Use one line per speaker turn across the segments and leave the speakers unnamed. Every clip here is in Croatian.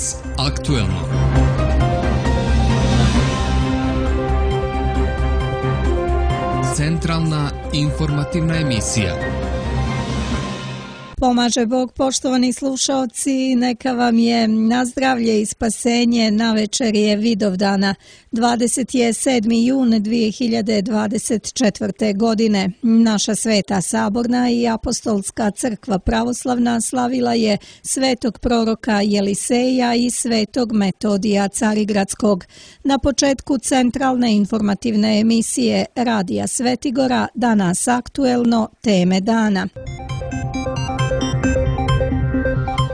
Danas aktuelno. Centralna informativna emisija.
Pomaže Bog, poštovani slušaoci, neka vam je na zdravlje i spasenje. Navečer je Vidovdana, 27. jun 2024. godine. Naša Sveta Saborna i Apostolska crkva pravoslavna slavila je svetog proroka Jeliseja i svetog Metodija Carigradskog. Na početku centralne informativne emisije Radija Svetigora, danas aktuelno, teme dana.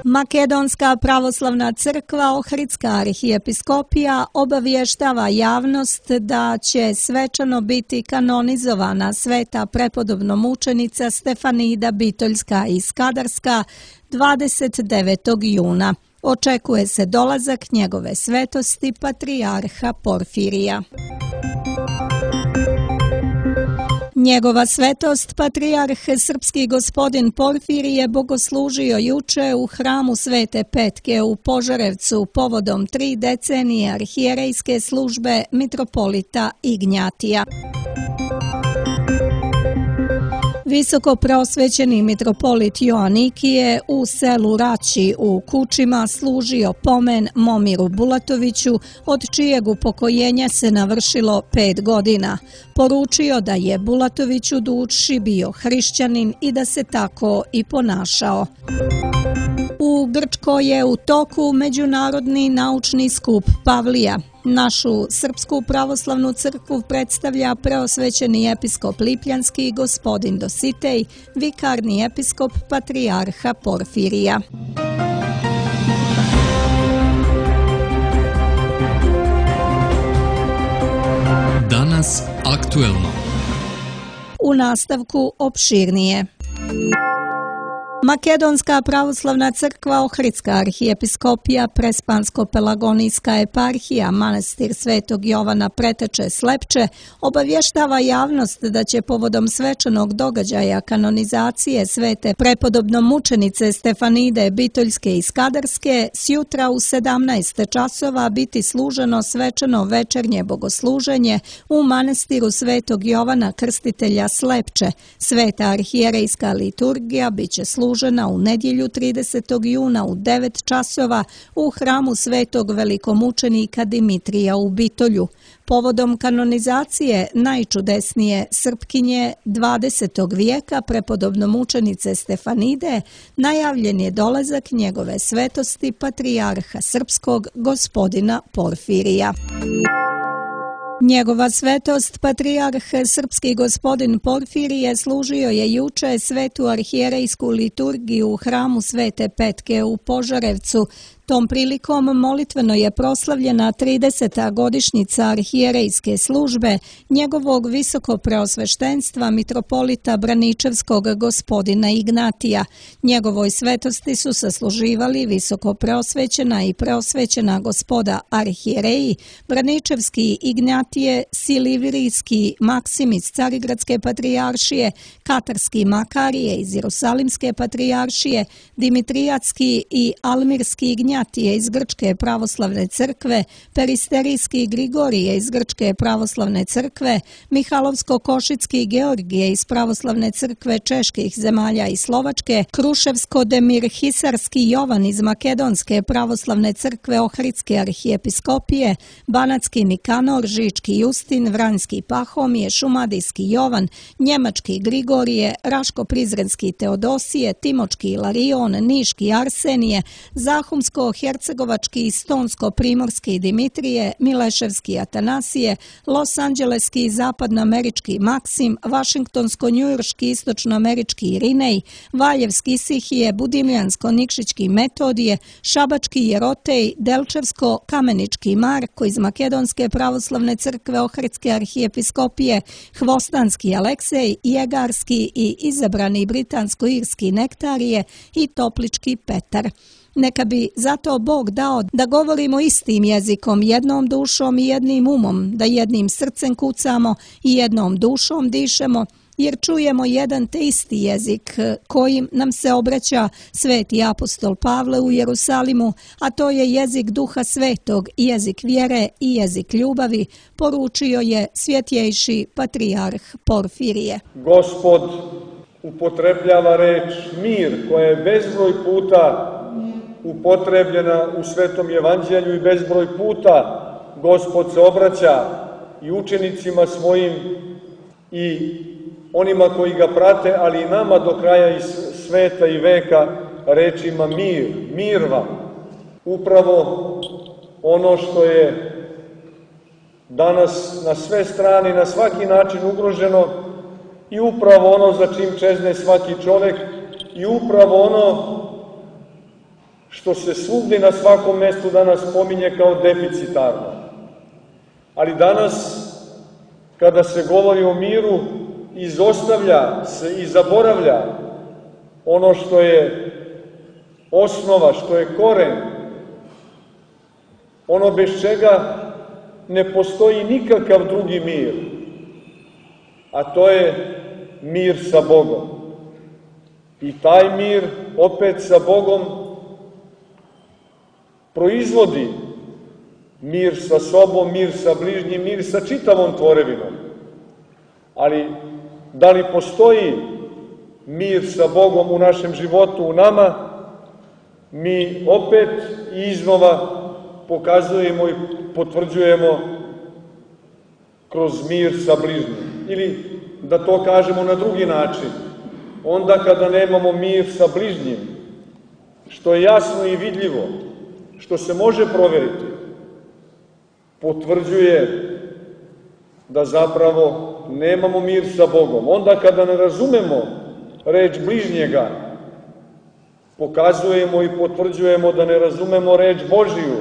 Makedonska pravoslavna crkva Ohridska arhijepiskopija obavještava javnost da će svečano biti kanonizovana sveta prepodobno mučenica Stefanida Bitoljska i Skadarska 29. juna. Očekuje se dolazak njegove svetosti patrijarha Porfirija. Njegova svetost, patrijarh srpski gospodin Porfirije, bogoslužio juče u hramu Svete Petke u Požarevcu povodom 3 decenije arhijerejske službe mitropolita Ignjatija. Visoko preosvećeni mitropolit Joanikije u selu Rači u Kučima služio pomen Momiru Bulatoviću, od čijeg upokojenja se navršilo 5 godina. Poručio da je Bulatović u duši bio hrišćanin i da se tako i ponašao. U Grčkoj je u toku Međunarodni naučni skup Pavlija. Našu Srpsku pravoslavnu crkvu predstavlja preosvećeni episkop Lipljanski gospodin Dositej, vikarni episkop patrijarha Porfirija.
Danas aktuelno.
U nastavku opširnije. Makedonska pravoslavna crkva Ohridska arhijepiskopija Prespansko-Pelagonijska eparhija manastir Svetog Jovana Preteče Slepče obavještava javnost da će povodom svečanog događaja kanonizacije svete prepodobno mučenice Stefanide Bitoljske i Skadarske sjutra u 17 časova biti služeno svečano večernje bogosluženje u manastiru Svetog Jovana Krstitelja Slepče. Sveta arhijerejska liturgija biće služena u nedjelju 30. juna u 9 časova u hramu svetog velikomučenika Dimitrija u Bitolju. Povodom kanonizacije najčudesnije Srpkinje 20. vijeka prepodobno mučenice Stefanide najavljen je dolazak njegove svetosti patrijarha srpskog gospodina Porfirija. Njegova svetost, patrijarh srpski gospodin Porfirije, služio je juče svetu arhijerejsku liturgiju u hramu Svete Petke u Požarevcu. Tom prilikom molitveno je proslavljena 30. godišnjica arhijerejske službe njegovog visoko preosveštenstva mitropolita Braničevskog gospodina Ignatija. Njegovoj svetosti su sasluživali visoko preosvećena i preosvećena gospoda arhijereji, Braničevski Ignatije, Silivirijski Maksim iz Carigradske patrijaršije, Katarski Makarije iz Jerusalimske patrijaršije, Dimitrijatski i Almirski Ignatije iz Grčke pravoslavne crkve, Peristerijski Grigorije iz Grčke pravoslavne crkve, Mihalovsko-Košicki Georgije iz pravoslavne crkve čeških zemalja i Slovačke, Kruševsko-Demir-Hisarski Jovan iz Makedonske pravoslavne crkve Ohridske arhijepiskopije, Banatski Nikanor, Žički Justin, Vranjski Pahomije, Šumadijski Jovan, Njemački Grigorije, Raško-Prizrenski Teodosije, Timočki Ilarion, Niški Arsenije, Zahumsko-Hercegovački i Stonsko-Primorski Dimitrije, Mileševski Atanasije, Los-Anđeleski i Zapadnoamerički Maksim, Vašingtonsko-Njujorški Istočnoamerički Irinej, Valjevski Isihije, Budimljansko-Nikšićki Metodije, Šabački Jerotej, Delčevsko-Kamenički Marko iz Makedonske pravoslavne crkve Ohridske arhijepiskopije, Hvostanski Aleksej, Jegarski i izabrani britansko-irski Nektarije i Toplički Petar. Neka bi zato Bog dao da govorimo istim jezikom, jednom dušom i jednim umom, da jednim srcem kucamo i jednom dušom dišemo, jer čujemo jedan te isti jezik kojim nam se obraća sveti apostol Pavle u Jerusalimu, a to je jezik Duha Svetog, jezik vjere i jezik ljubavi, poručio je svjetjejši patrijarh Porfirije.
Gospod upotrebljava reč mir, koja je bezbroj puta upotrebljena u Svetom evanđelju i bezbroj puta Gospod se obraća i učenicima svojim i onima koji ga prate, ali i nama do kraja i sveta i veka rečima mir, mir vam. Upravo ono što je danas na sve strane, na svaki način ugroženo i upravo ono za čim čezne svaki čovjek i upravo ono što se svugdje na svakom mjestu danas pominje kao deficitarno. Ali danas, kada se govori o miru, izostavlja se i zaboravlja ono što je osnova, što je koren, ono bez čega ne postoji nikakav drugi mir, a to je mir sa Bogom. I taj mir opet sa Bogom proizvodi mir sa sobom, mir sa bližnjim, mir sa čitavom tvorevinom. Ali da li postoji mir sa Bogom u našem životu, u nama, mi opet iznova pokazujemo i potvrđujemo kroz mir sa bližnjim. Ili da to kažemo na drugi način, onda kada nemamo mir sa bližnjim, što je jasno i vidljivo, što se može provjeriti, potvrđuje da zapravo nemamo mir sa Bogom. Onda kada ne razumemo reč bližnjega, pokazujemo i potvrđujemo da ne razumemo reč Božiju.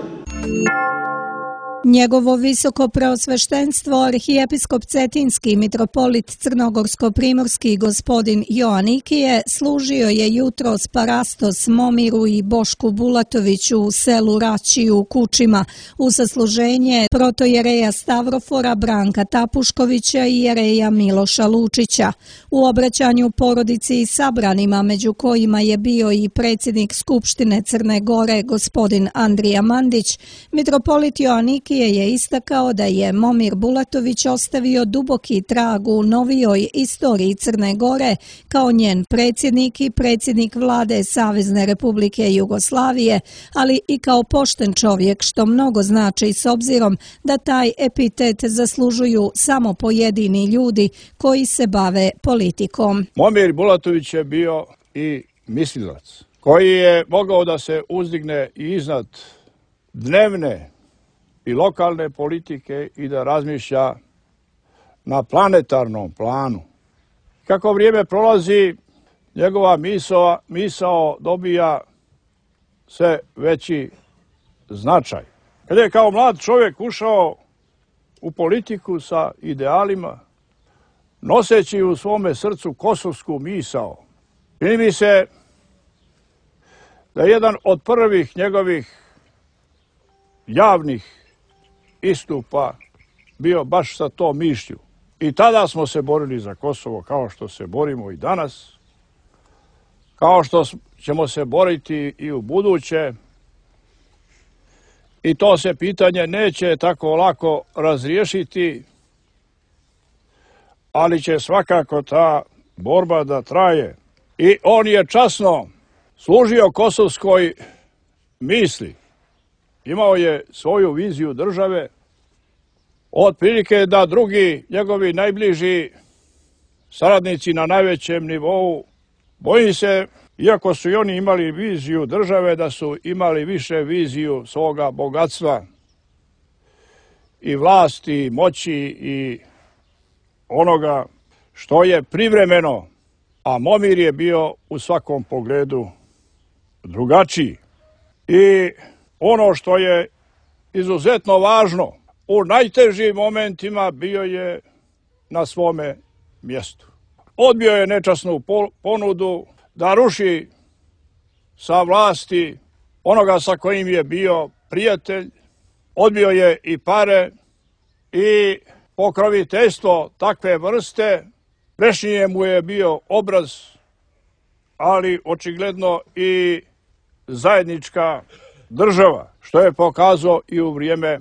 Njegovo visoko preosveštenstvo arhijepiskop Cetinski mitropolit Crnogorsko-primorski gospodin Joanikije služio je jutros parastos Momiru i Bošku Bulatoviću u selu Rači u Kučima u sasluženje protojereja Stavrofora Branka Tapuškovića i jereja Miloša Lučića. U obraćanju porodici i sabranima, među kojima je bio i predsjednik Skupštine Crne Gore gospodin Andrija Mandić, mitropolit Joanikije je istakao da je Momir Bulatović ostavio duboki trag u novijoj istoriji Crne Gore kao njen predsjednik i predsjednik vlade Savezne Republike Jugoslavije, ali i kao pošten čovjek, što mnogo znači s obzirom da taj epitet zaslužuju samo pojedini ljudi koji se bave politikom.
Momir Bulatović je bio i mislilac koji je mogao da se uzdigne i iznad dnevne i lokalne politike i da razmišlja na planetarnom planu. Kako vrijeme prolazi, njegova misao dobija sve veći značaj. Kad je kao mlad čovjek ušao u politiku sa idealima, noseći u svome srcu kosovsku misao, čini mi se da je jedan od prvih njegovih javnih istupa bio baš sa tom mišlju. I tada smo se borili za Kosovo kao što se borimo i danas, kao što ćemo se boriti i u buduće. I to se pitanje neće tako lako razriješiti, ali će svakako ta borba da traje. I on je časno služio kosovskoj misli. Imao je svoju viziju države, otprilike da drugi njegovi najbliži saradnici na najvećem nivou, bojim se, iako su i oni imali viziju države, da su imali više viziju svoga bogatstva i vlasti, i moći i onoga što je privremeno, a Momir je bio u svakom pogledu drugačiji. I ono što je izuzetno važno, u najtežim momentima bio je na svome mjestu. Odbio je nečasnu ponudu da ruši sa vlasti onoga sa kojim je bio prijatelj, odbio je i pare i pokroviteljstvo takve vrste Prešnije mu je bio obraz, ali očigledno i zajednička država, što je pokazao i u vrijeme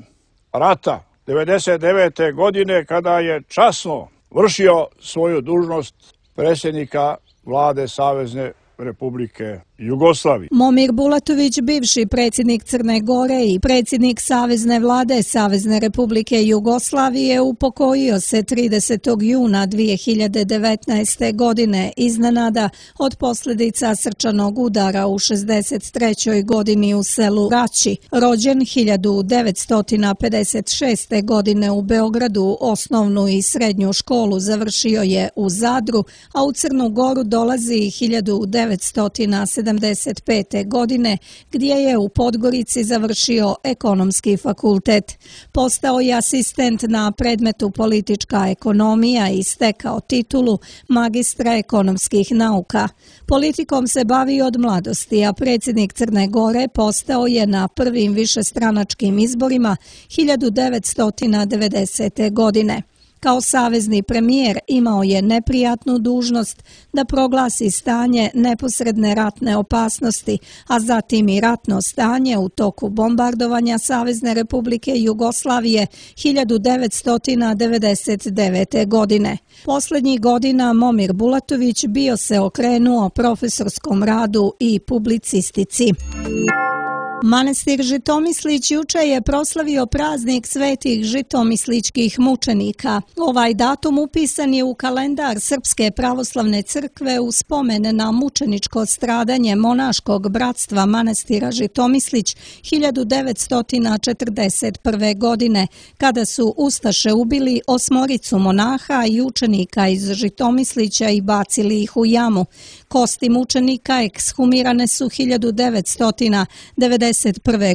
rata 1999. godine kada je časno vršio svoju dužnost predsjednika vlade Savezne Republike Jugoslavije.
Momir Bulatović, bivši predsjednik Crne Gore i predsjednik Savezne vlade Savezne Republike Jugoslavije, upokojio se 30. juna 2019. godine iznenada od posljedica srčanog udara u 63. godini u selu Rači. Rođen 1956. godine u Beogradu, osnovnu i srednju školu završio je u Zadru, a u Crnu Goru dolazi 1975. godine, gdje je u Podgorici završio ekonomski fakultet. Postao je asistent na predmetu politička ekonomija i stekao titulu magistra ekonomskih nauka. Politikom se bavi od mladosti, a predsjednik Crne Gore postao je na prvim višestranačkim izborima 1990. godine. Kao savezni premijer imao je neprijatnu dužnost da proglasi stanje neposredne ratne opasnosti, a zatim i ratno stanje u toku bombardovanja Savezne Republike Jugoslavije 1999. godine. Posljednjih godina Momir Bulatović bio se okrenuo profesorskom radu i publicistici. Manastir Žitomislić juče je proslavio praznik svetih žitomisličkih mučenika. Ovaj datum upisan je u kalendar Srpske pravoslavne crkve u spomen na mučeničko stradanje monaškog bratstva manastira Žitomislić 1941. godine, kada su ustaše ubili 8 monaha i učenika iz Žitomislića i bacili ih u jamu. Kosti mučenika ekshumirane su 1991.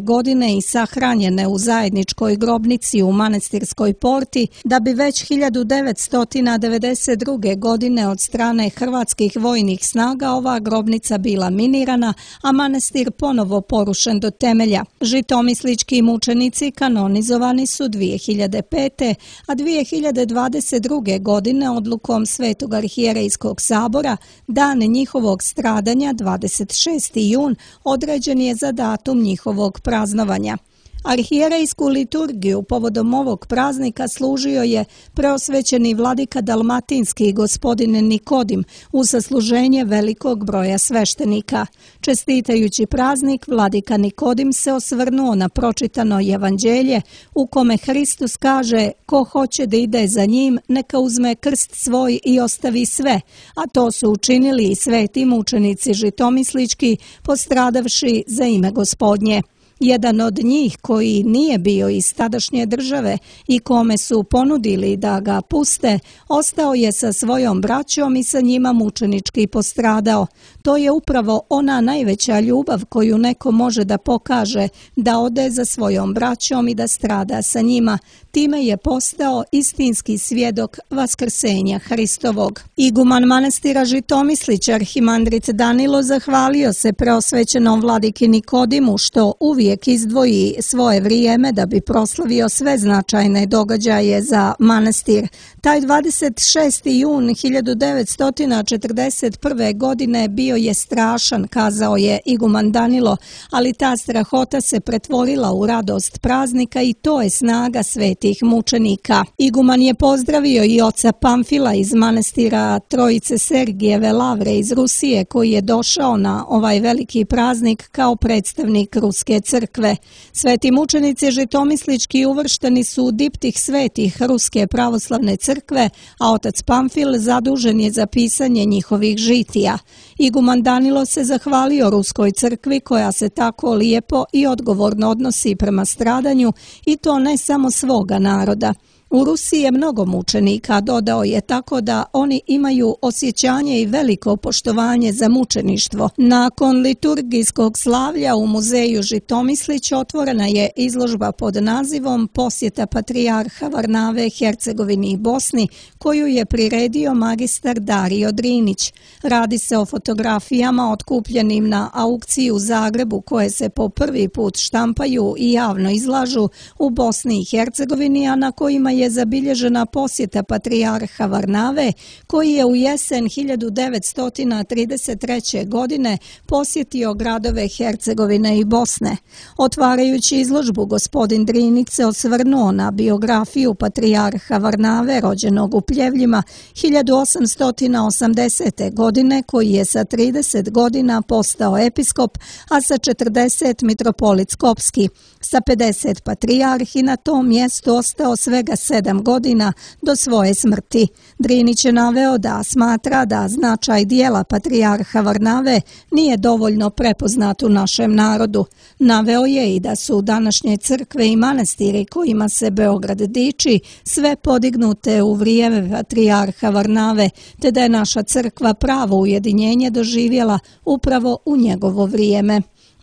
godine i sahranjene u zajedničkoj grobnici u Manastirskoj porti, da bi već 1992. godine od strane hrvatskih vojnih snaga ova grobnica bila minirana, a manastir ponovo porušen do temelja. Žitomislički mučenici kanonizovani su 2005. a 2022. godine odlukom Svetog arhijerejskog sabora dan njihovog stradanja 26. jun određen je za datum njihovog praznovanja. Arhijerejsku liturgiju povodom ovog praznika služio je preosvećeni vladika dalmatinski gospodin Nikodim u sasluženje velikog broja sveštenika. Čestitajući praznik, vladika Nikodim se osvrnuo na pročitano evanđelje u kome Hristos kaže: "Ko hoće da ide za njim, neka uzme krst svoj i ostavi sve", a to su učinili i sveti mučenici žitomislički, postradavši za ime Gospodnje. Jedan od njih, koji nije bio iz tadašnje države i kome su ponudili da ga puste, ostao je sa svojom braćom i sa njima mučenički postradao. To je upravo ona najveća ljubav koju neko može da pokaže, da ode za svojom braćom i da strada sa njima. Time je postao istinski svjedok vaskrsenja Hristovog. Iguman manastira Žitomislić, arhimandrit Danilo, zahvalio se preosvećenom vladiki Nikodimu što uvijek izdvoji svoje vrijeme da bi proslavio sve značajne događaje za manastir. Taj 26. jun 1941. godine bio je strašan, kazao je iguman Danilo, ali ta strahota se pretvorila u radost praznika i to je snaga svetih mučenika. Iguman je pozdravio i oca Pamfila iz manastira Trojice Sergijeve Lavre iz Rusije, koji je došao na ovaj veliki praznik kao predstavnik Ruske crkve. Sveti mučenici žitomislički uvršteni su u diptih svetih Ruske pravoslavne crkve, a otac Pamfil zadužen je za pisanje njihovih žitija. Iguman Danilo se zahvalio Ruskoj crkvi koja se tako lijepo i odgovorno odnosi prema stradanju, i to ne samo svoga naroda. U Rusiji je mnogo mučenika, dodao je, tako da oni imaju osjećanje i veliko poštovanje za mučeništvo. Nakon liturgijskog slavlja u muzeju Žitomislić otvorena je izložba pod nazivom Posjeta patrijarha Varnave Hercegovini i Bosni, koju je priredio magistar Dario Drinić. Radi se o fotografijama otkupljenim na aukciji u Zagrebu, koje se po prvi put štampaju i javno izlažu u Bosni i Hercegovini, a na kojima je je zabilježena posjeta patrijarha Varnave, koji je u jesen 1933. godine posjetio gradove Hercegovine i Bosne. Otvarajući izložbu, gospodin Drinić se osvrnuo na biografiju patrijarha Varnave, rođenog u Pljevljima 1880. godine, koji je sa 30 godina postao episkop, a sa 40 mitropolit Skopski. Sa 50 patrijarh i na tom mjestu ostao svega 7 godina do svoje smrti. Drinić je naveo da smatra da značaj dijela patrijarha Varnave nije dovoljno prepoznat u našem narodu. Naveo je i da su današnje crkve i manastiri kojima se Beograd diči sve podignute u vrijeme patrijarha Varnave, te da je naša crkva pravo ujedinjenje doživjela upravo u njegovo vrijeme.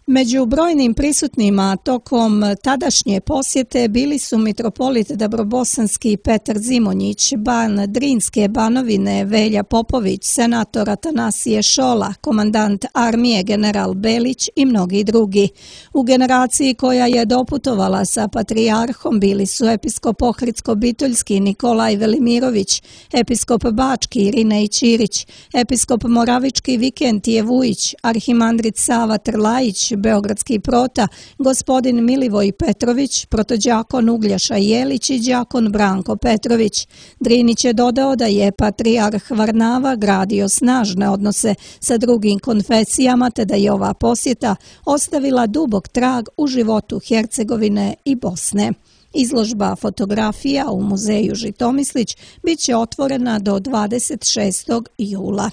Među brojnim prisutnima tokom tadašnje posjete bili su mitropolit Dabrobosanski Petar Zimonjić, ban Drinske Banovine Velja Popović, senator Atanasije Šola, komandant armije general Belić i mnogi drugi. U generaciji koja je doputovala sa patrijarhom bili su episkop Ohridsko-Bitoljski Nikolaj Velimirović, episkop Bački Irinej Ćirić, episkop Moravički Vikentije Vujić, arhimandrit Sava Trlajić, beogradski prota, gospodin Milivoj Petrović, protodjakon Ugljaša Jelić i đakon Branko Petrović. Drinić je dodao da je patrijarh Varnava gradio snažne odnose sa drugim konfesijama, te da je ova posjeta ostavila dubok trag u životu Hercegovine i Bosne. Izložba fotografija u muzeju Žitomislić bit će otvorena do 26. jula.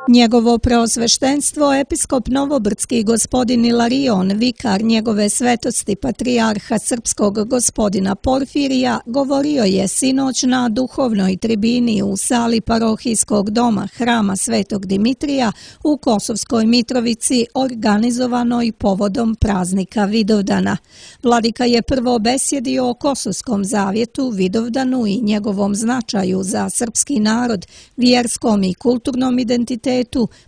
Njegovo preosveštenstvo, episkop Novobrdski gospodin Ilarion, vikar njegove svetosti patrijarha srpskog gospodina Porfirija, govorio je sinoć na duhovnoj tribini u sali parohijskog doma Hrama Svetog Dimitrija u Kosovskoj Mitrovici, organizovanoj povodom praznika Vidovdana. Vladika je prvo besjedio o Kosovskom zavjetu, Vidovdanu i njegovom značaju za srpski narod, vjerskom i kulturnom identitetu,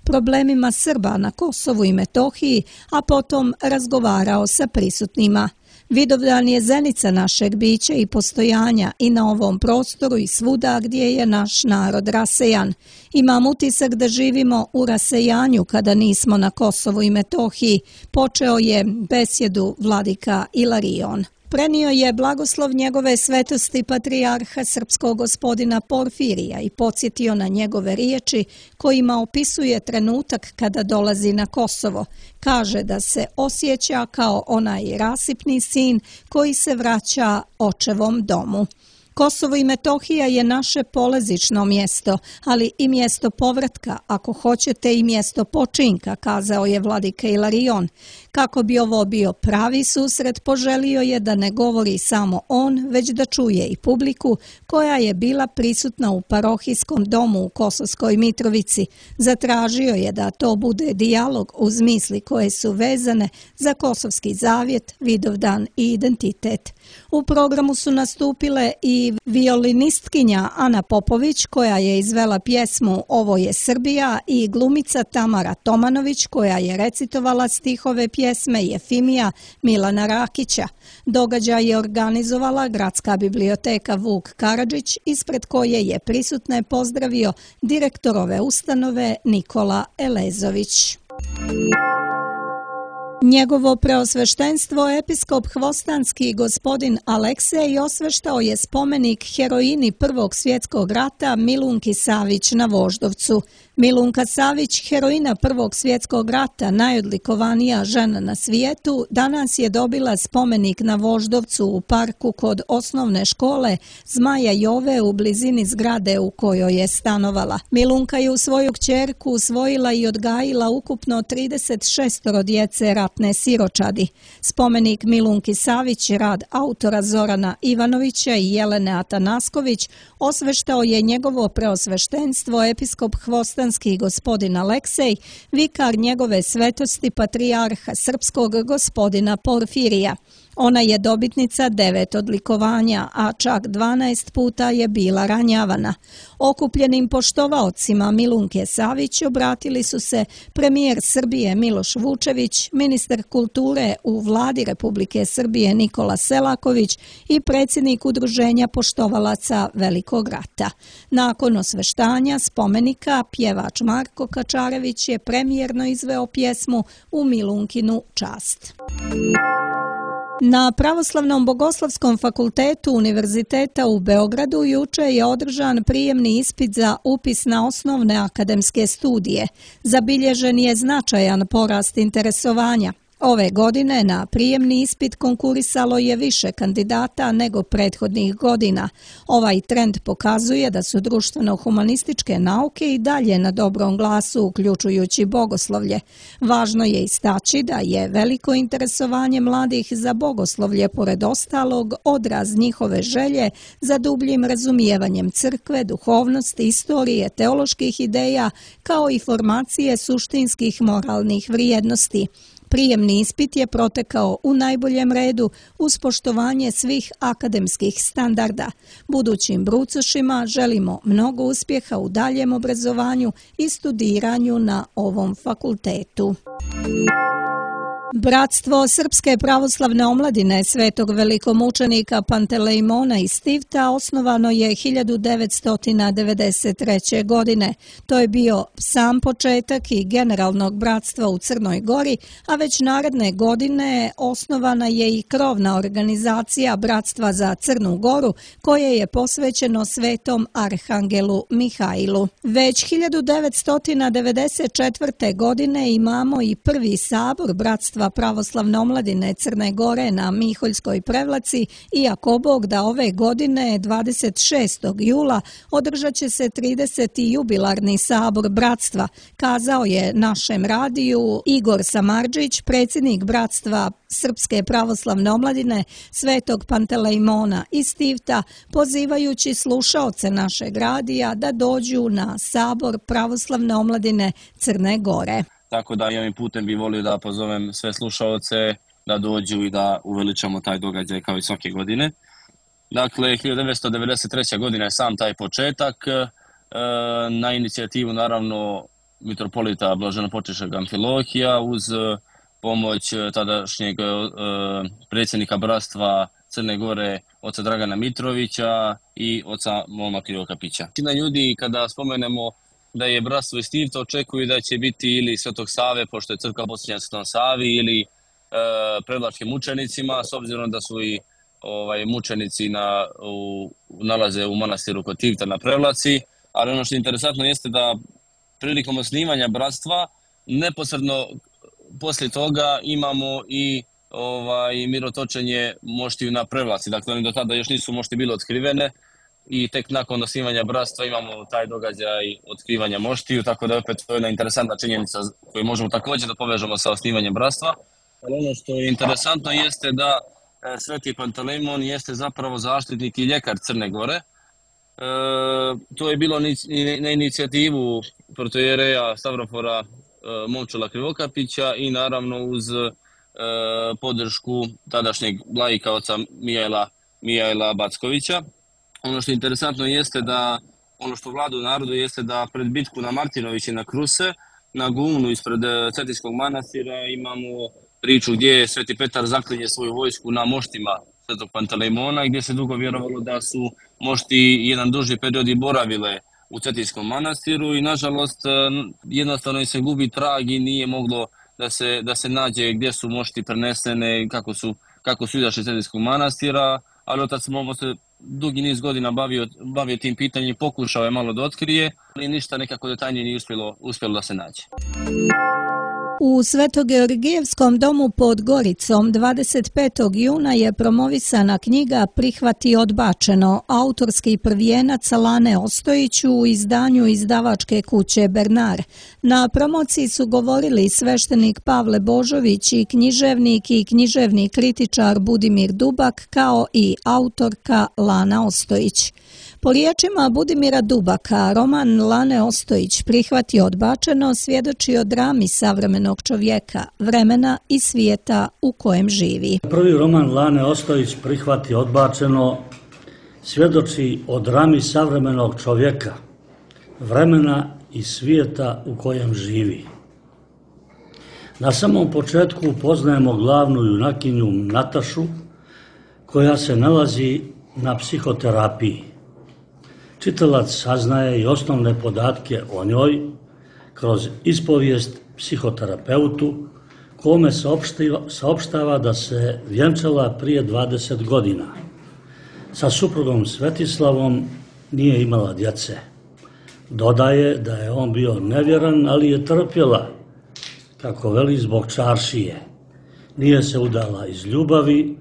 problemima Srba na Kosovu i Metohiji, a potom razgovarao sa prisutnima. Vidovdan je zenica našeg bića i postojanja i na ovom prostoru i svuda gdje je naš narod rasejan. Imam utisak da živimo u rasejanju kada nismo na Kosovu i Metohiji, počeo je besjedu vladika Ilarion. Prenio je blagoslov njegove svetosti patrijarha srpskog gospodina Porfirija i podsjetio na njegove riječi kojima opisuje trenutak kada dolazi na Kosovo. Kaže da se osjeća kao onaj rasipni sin koji se vraća očevom domu. Kosovo i Metohija je naše polazično mjesto, ali i mjesto povratka, ako hoćete i mjesto počinka, kazao je vladika Ilarion. Kako bi ovo bio pravi susret, poželio je da ne govori samo on, već da čuje i publiku koja je bila prisutna u parohijskom domu u Kosovskoj Mitrovici. Zatražio je da to bude dijalog uz misli koje su vezane za Kosovski zavjet, Vidovdan i identitet. U programu su nastupile i violinistkinja Ana Popović, koja je izvela pjesmu Ovo je Srbija, i glumica Tamara Tomanović, koja je recitovala stihove pjesme Jefimija Milana Rakića. Događaj je organizovala Gradska biblioteka Vuk Karadžić, ispred koje je prisutne pozdravio direktor ove ustanove Nikola Elezović. Njegovo preosveštenstvo, episkop Hvostanski gospodin Aleksej, osveštao je spomenik heroini Prvog svjetskog rata Milunki Savić na Voždovcu. Milunka Savić, heroina Prvog svjetskog rata, najodlikovanija žena na svijetu, danas je dobila spomenik na Voždovcu u parku kod osnovne škole Zmaja Jove u blizini zgrade u kojoj je stanovala. Milunka je u svoju kćerku usvojila i odgajila ukupno 36 djece ratne siročadi. Spomenik Milunki Savić, rad autora Zorana Ivanovića i Jelene Atanasković, osveštao je njegovo preosveštenstvo episkop Hvostanski gospodin Aleksej, vikar njegove svetosti patrijarha srpskog gospodina Porfirija. Ona je dobitnica 9 odlikovanja, a čak 12 puta je bila ranjavana. Okupljenim poštovaocima Milunke Savić obratili su se premijer Srbije Miloš Vučević, ministar kulture u vladi Republike Srbije Nikola Selaković i predsjednik Udruženja poštovalaca Velikog rata. Nakon osveštanja spomenika, pjevač Marko Kačarević je premijerno izveo pjesmu u Milunkinu čast. Na Pravoslavnom bogoslovskom fakultetu Univerziteta u Beogradu juče je održan prijemni ispit za upis na osnovne akademske studije. Zabilježen je značajan porast interesovanja. Ove godine na prijemni ispit konkurisalo je više kandidata nego prethodnih godina. Ovaj trend pokazuje da su društveno-humanističke nauke i dalje na dobrom glasu, uključujući bogoslovlje. Važno je istaći da je veliko interesovanje mladih za bogoslovlje, pored ostalog, odraz njihove želje za dubljim razumijevanjem crkve, duhovnosti, istorije, teoloških ideja, kao i formacije suštinskih moralnih vrijednosti. Prijemni ispit je protekao u najboljem redu uz poštovanje svih akademskih standarda. Budućim brucošima želimo mnogo uspjeha u daljem obrazovanju i studiranju na ovom fakultetu. Bratstvo Srpske pravoslavne omladine Svetog velikomučenika Pantelejmona iz Tivta osnovano je 1993. godine. To je bio sam početak i generalnog bratstva u Crnoj Gori, a već naredne godine osnovana je i krovna organizacija Bratstva za Crnu Goru, koje je posvećeno Svetom Arhangelu Mihailu. Već 1994. godine imamo i prvi sabor Bratstva pravoslavne omladine Crne Gore na Miholjskoj Prevlaci, iako Bog da ove godine 26. jula održat će se 30. jubilarni sabor bratstva, kazao je našem radiju Igor Samardžić, predsjednik Bratstva Srpske pravoslavne omladine Svetog Pantelejmona iz Tivta, pozivajući slušaoce našeg radija da dođu na sabor pravoslavne omladine Crne Gore.
Tako da i ovim putem bih volio da pozovem sve slušaoce da dođu i da uveličamo taj događaj kao i svake godine. Dakle, 1993. godina je sam taj početak, na inicijativu naravno mitropolita Blaženopočešćeg Amfilohija uz pomoć tadašnjeg predsjednika bratstva Crne Gore, oca Dragana Mitrovića i oca Moma Krivokapića. Većina ljudi kada spomenemo da je bratstvo iz Tivta očekuju da će biti ili Svetog Save, pošto je crkva posljednja Svetom Savi, ili prevlačkim mučenicima, s obzirom da su i mučenici nalaze u manastiru kod Tivta na Prevlaci. Ali ono što je interesantno jeste da prilikom osnivanja bratstva neposredno poslije toga imamo i mirotočenje moštiju na Prevlaci. Dakle, oni do tada još nisu mošti bile otkrivene i tek nakon osnivanja bratstva imamo taj događaj otkrivanja moštiju, tako da opet to je jedna interesantna činjenica koju možemo također da povežemo sa osnivanjem bratstva. Ali ono što je interesantno jeste da Sveti Pantelejmon jeste zapravo zaštitnik i ljekar Crne Gore. To je bilo na inicijativu protoijereja Stavrofora Momčila Krivokapića i naravno uz podršku tadašnjeg laika oca Mijaila Backovića. Ono što je interesantno jeste da ono što vlada u narodu jeste da pred bitku na Martinović i na Kruse, na Guvnu ispred Cetinskog manastira imamo priču gdje je Sveti Petar zaklinje svoju vojsku na moštima Svetog Pantelejmona, gdje se dugo vjerovalo da su mošti jedan duži period i boravile u Cetinskom manastiru i nažalost jednostavno se gubi trag i nije moglo da se nađe gdje su mošti prenesene, kako su izašli iz Cetinskog manastira, ali otac Momo se dugi niz godina bavio tim pitanjem, pokušao je malo da otkrije, ali ništa nekako detaljnije nije uspjelo da se nađe.
U Svetogeorgijevskom domu pod Goricom 25. juna je promovisana knjiga Prihvati odbačeno, autorski prvijenac Lane Ostojić u izdanju izdavačke kuće Bernard. Na promociji su govorili sveštenik Pavle Božović i književni kritičar Budimir Dubak, kao i autorka Lana Ostojić. Po riječima Budimira Dubaka, roman Lane Ostojić Prihvati odbačeno svjedoči o drami savremenog savremenog čovjeka, vremena i svijeta u kojem živi.
Prvi roman Lane Ostojić Prihvati odbačeno svjedoči o drami savremenog čovjeka, vremena i svijeta u kojem živi. Na samom početku upoznajemo glavnu junakinju Natašu, koja se nalazi na psihoterapiji. Čitalac saznaje i osnovne podatke o njoj kroz ispovijest psihoterapeutu, kome saopštava da se vjenčala prije 20 godina. Sa suprugom Svetislavom nije imala djece. Dodaje da je on bio nevjeran, ali je trpjela, kako veli, zbog čaršije. Nije se udala iz ljubavi,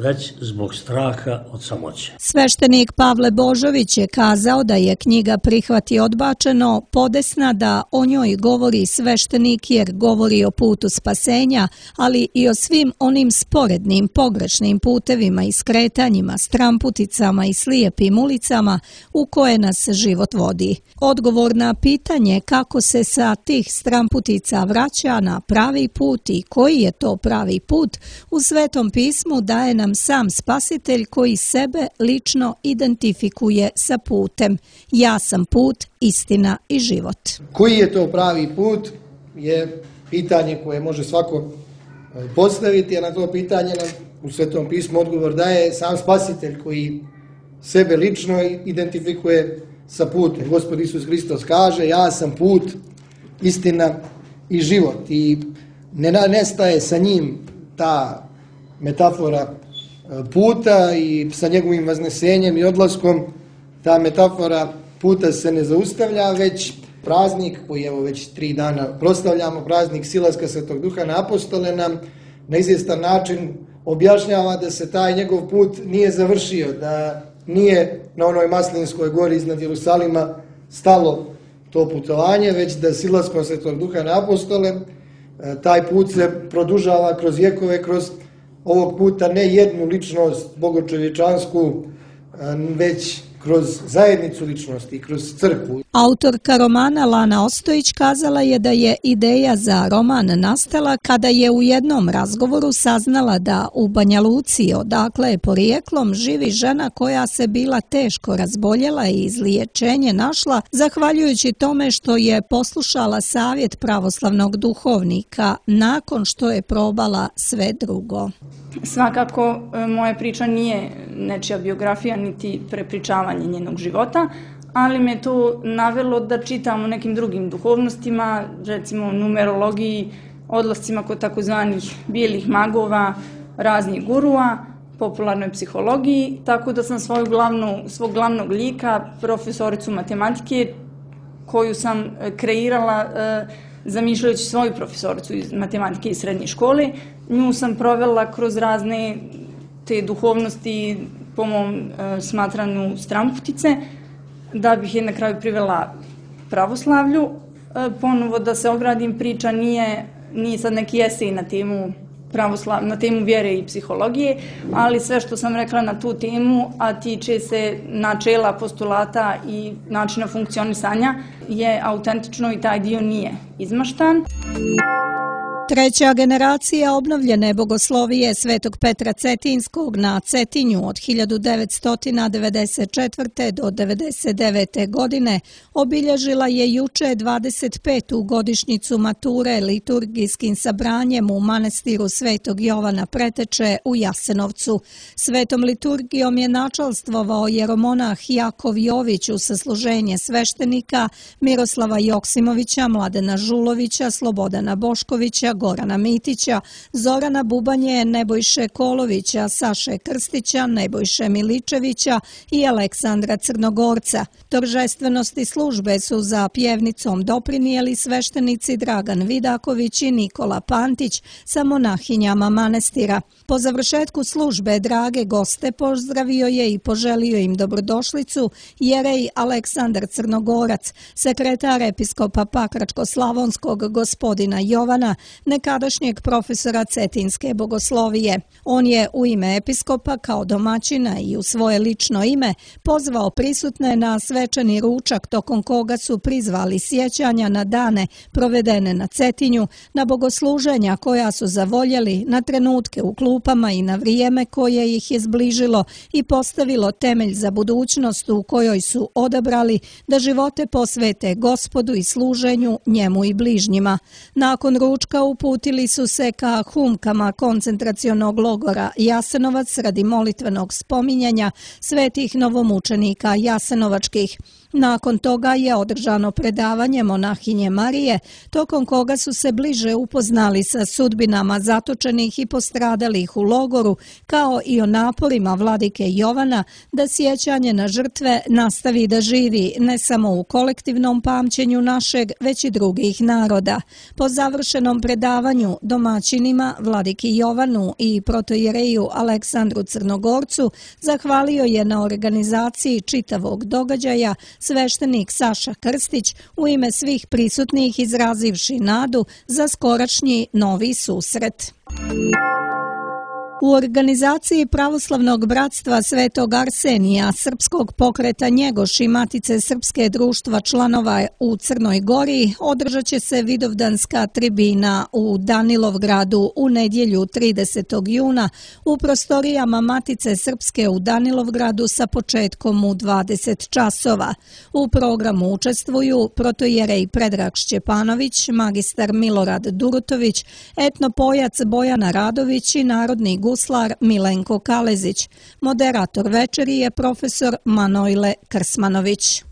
već zbog straha od samoće.
Sveštenik Pavle Božović je kazao da je knjiga Prihvati odbačeno podesna da o njoj govori sveštenik jer govori o putu spasenja, ali i o svim onim sporednim, pogrešnim putevima i skretanjima, stramputicama i slijepim ulicama u koje nas život vodi. Odgovor na pitanje kako se sa tih stramputica vraća na pravi put i koji je to pravi put, u Svetom pismu daje nam sam Spasitelj koji sebe lično identifikuje sa putem. Ja sam put, istina i život.
Koji je to pravi put je pitanje koje može svako postaviti, a na to pitanje nam u Svetom pismu odgovor daje sam Spasitelj koji sebe lično identifikuje sa putem. Gospod Isus Hristos kaže: ja sam put, istina i život. I ne nestaje sa njim ta metafora puta i sa njegovim vaznesenjem i odlaskom ta metafora puta se ne zaustavlja, već praznik koji evo već 3 dana proslavljamo, praznik silaska Svetog Duha na apostole, nam na izvjestan način objašnjava da se taj njegov put nije završio, da nije na onoj Maslinskoj gori iznad Jerusalima stalo to putovanje, već da silaskom Svetog Duha na apostole taj put se produžava kroz vjekove, kroz ovog puta ne jednu ličnost bogočovječansku, već kroz zajednicu ličnosti i kroz crkvu.
Autorka romana Lana Ostojić kazala je da je ideja za roman nastala kada je u jednom razgovoru saznala da u Banja Luci, odakle je porijeklom, živi žena koja se bila teško razboljela i izliječenje našla zahvaljujući tome što je poslušala savjet pravoslavnog duhovnika nakon što je probala sve drugo.
Svakako, moja priča nije nečija biografija niti prepričavanje njenog života, ali me to navelo da čitam o nekim drugim duhovnostima, recimo numerologiji, odlascima kod takozvanih bijelih magova, raznih gurua, popularnoj psihologiji, tako da sam svog glavnog lika, profesoricu matematike, koju sam kreirala zamišljajući svoju profesoricu iz matematike iz srednje škole, nju sam provela kroz razne te duhovnosti, po mom smatranju stramputice, da bih je na kraju privela pravoslavlju. Ponovo da se ogradim, priča nije sad neki esej na temu vjere i psihologije, ali sve što sam rekla na tu temu, a tiče se načela, postulata i načina funkcionisanja, je autentično i taj dio nije izmaštan.
Treća generacija obnovljene bogoslovije Svetog Petra Cetinskog na Cetinju od 1994. do 1999. godine obilježila je juče 25. godišnjicu mature liturgijskim sabranjem u manastiru Svetog Jovana Preteče u Jasenovcu. Svetom liturgijom je načalstvovao jeromonah Jakov Jović uz sasluženje sveštenika Miroslava Joksimovića, Mladena Žulovića, Slobodana Boškovića, Gorana Mitića, Zorana Bubanje, Nebojše Kolovića, Saše Krstića, Nebojše Miličevića i Aleksandra Crnogorca. Торжествеnosti službe su za pjevnicom doprinijeli sveštenici Dragan Vidaković i Nikola Pantić sa monahinjama manastira. Po završetku službe drage goste pozdravio je i poželio im dobrodošlicu jerej Aleksandar Crnogorac, sekretar episkopa Pakračko-Slavonskog gospodina Jovana, nekadašnjeg profesora Cetinske bogoslovije. On je u ime episkopa kao domaćina i u svoje lično ime pozvao prisutne na svečani ručak tokom koga su prizvali sjećanja na dane provedene na Cetinju, na bogosluženja koja su zavoljeli, na trenutke u klupama i na vrijeme koje ih je zbližilo i postavilo temelj za budućnost u kojoj su odabrali da živote posvete Gospodu i služenju njemu i bližnjima. Nakon ručka uputili su se ka humkama koncentracionog logora Jasenovac radi molitvenog spominjanja svetih novomučenika jasenovačkih. Nakon toga je održano predavanje monahinje Marije, tokom koga su se bliže upoznali sa sudbinama zatočenih i postradalih u logoru, kao i o naporima vladike Jovana da sjećanje na žrtve nastavi da živi ne samo u kolektivnom pamćenju našeg, već i drugih naroda. Po završenom predavanju domaćinima vladiki Jovanu i protojereju Aleksandru Crnogorcu zahvalio je na organizaciji čitavog događaja sveštenik Saša Krstić, u ime svih prisutnih izrazivši nadu za skorašnji novi susret. U organizaciji Pravoslavnog bratstva Svetog Arsenija, Srpskog pokreta Njegoš i Matice Srpske društva članova u Crnoj Gori održat će se Vidovdanska tribina u Danilovgradu u nedjelju 30. juna u prostorijama Matice Srpske u Danilovgradu sa početkom u 20 časova. U programu učestvuju protojerej Predrag Šćepanović, magistar Milorad Durutović, etnopojac Bojana Radović i narodni guslar Milenko Kalezić. Moderator večeri je profesor Manojle Krsmanović.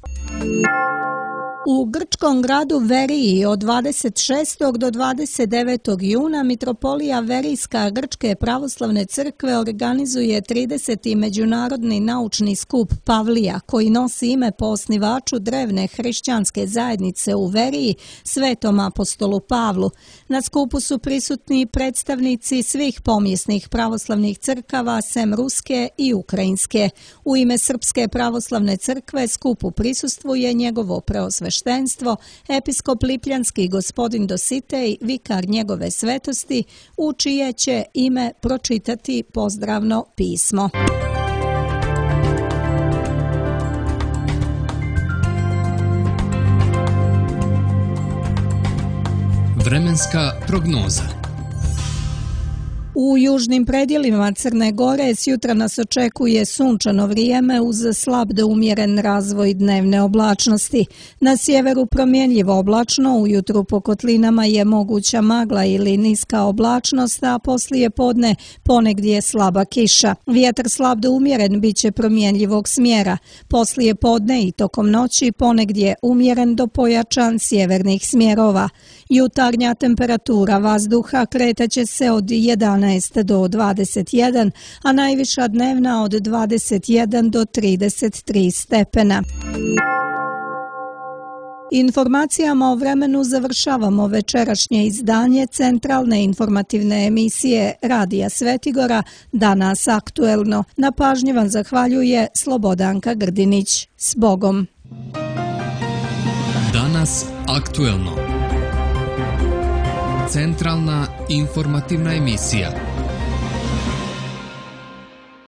U grčkom gradu Veriji od 26. do 29. juna Mitropolija Verijska Grčke pravoslavne crkve organizuje 30. međunarodni naučni skup Pavlija, koji nosi ime po osnivaču drevne hrišćanske zajednice u Veriji, Svetom apostolu Pavlu. Na skupu su prisutni predstavnici svih pomjesnih pravoslavnih crkava, sem ruske i ukrajinske. U ime Srpske pravoslavne crkve skupu prisustvuje njegovo preosveštenstvo, episkop Lipljanski gospodin Dositej, vikar njegove svetosti, u čije će ime pročitati pozdravno pismo.
Vremenska prognoza.
U južnim predjelima Crne Gore sjutra nas očekuje sunčano vrijeme uz slab do umjeren razvoj dnevne oblačnosti. Na sjeveru promjenljivo oblačno, ujutru po kotlinama je moguća magla ili niska oblačnost, a poslije podne ponegdje slaba kiša. Vjetar slab do umjeren bit će promjenljivog smjera. Poslije podne i tokom noći ponegdje umjeren do pojačan sjevernih smjerova. Jutarnja temperatura vazduha kretaće se od 11 do 21, a najviša dnevna od 21 do 33 stepena. Informacijama o vremenu završavamo večerašnje izdanje centralne informativne emisije Radija Svetigora Danas aktuelno. Na pažnji vam zahvaljuje Slobodanka Grdinić. S Bogom!
Danas aktuelno. Centralna informativna emisija.